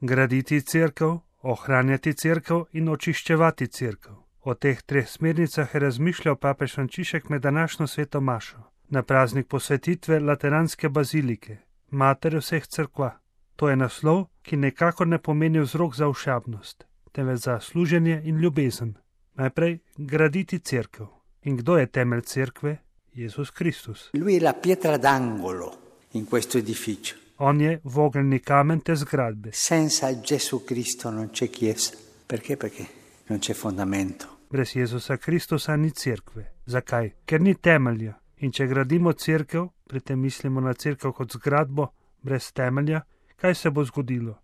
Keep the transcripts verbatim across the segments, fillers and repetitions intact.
Graditi cerkev, ohranjati cerkev in očiščevati cerkev. O teh treh smernicah je razmišljal papež Frančišek med današnjo sveto mašo, na praznik posvetitve Lateranske bazilike, matere vseh cerkva. To je naslov, ki nekako ne pomeni vzrok za ošabnost, temveč za služenje in ljubezen. Najprej graditi cerkev. In kdo je temelj cerkve? Jezus Kristus. Lui è la pietra d'angolo in questo edificio. On je vogelni kamen te zgradbe. Senza Gesù Cristo non c'è chiesa. Perché? Perché non c'è fondamento. Brez Jezusa Kristusa ni cerkve. Zakaj? Ker ni temelja. In če gradimo cerkev, pri tem mislimo na cerkev kot zgradbo, brez temelja, kaj se bo zgodilo?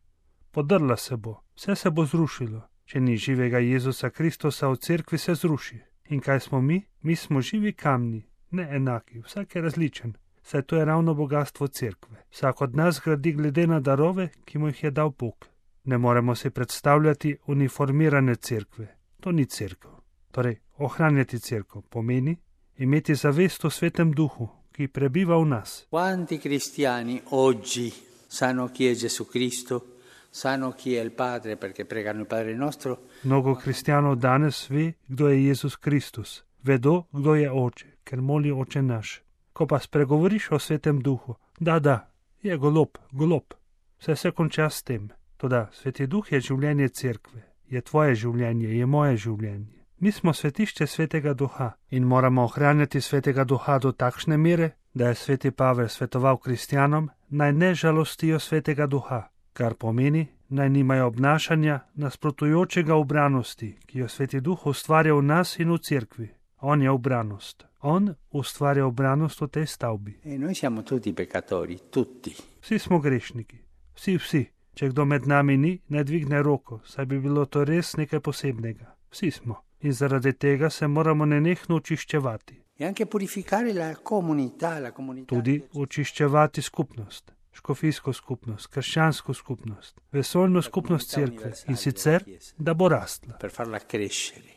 Podrla se bo, vse se bo zrušilo. Če ni živega Jezusa Kristusa v cerkvi, se zruši. In kaj smo mi? Mi smo živi kamni, ne enaki, vsak je različen. Saj to je ravno bogatstvo cerkve. Vsak od nas gradi glede na darove, ki mu jih je dal Bog. Ne moremo si predstavljati uniformirane cerkve. To ni cerkev. Torej, ohranjati cerkev pomeni imeti zavest o Svetem Duhu, ki prebiva v nas. Quanti cristiani oggi sanno chi è Gesù Cristo, sanno chi è il Padre perché pregano il Padre nostro. Mnogo kristijanov danes ve, kdo je Jezus Kristus. Vedo, kdo je Oče, ker moli Oče naš. Ko pa spregovoriš o Svetem Duhu, da, da, je golob, golob. Vse se konča s tem. Toda Sveti Duh je življenje cerkve, je tvoje življenje, je moje življenje. Mi smo svetišče Svetega Duha in moramo ohranjati Svetega Duha do takšne mere, da je Sveti Pavel svetoval kristijanom, naj ne žalostijo Svetega Duha, kar pomeni, naj nimajo obnašanja nasprotujočega ubranosti, ki jo Sveti Duh ustvarja v nas in v cerkvi. On je ubranost. On ustvarja ubranost v tej stavbi. E noi siamo tutti peccatori, tutti. Vsi smo grešniki. Vsi, vsi. Če kdo med nami ni, ne dvigne roko, saj bi bilo to res nekaj posebnega. Vsi smo. In zaradi tega se moramo nenehno očiščevati. E anche purificare la comunità, la comunità. Tudi očiščevati skupnost, škofijsko skupnost, krščansko skupnost, vesoljno skupnost cerkve in sicer, da bo rastla. Per farla crescere.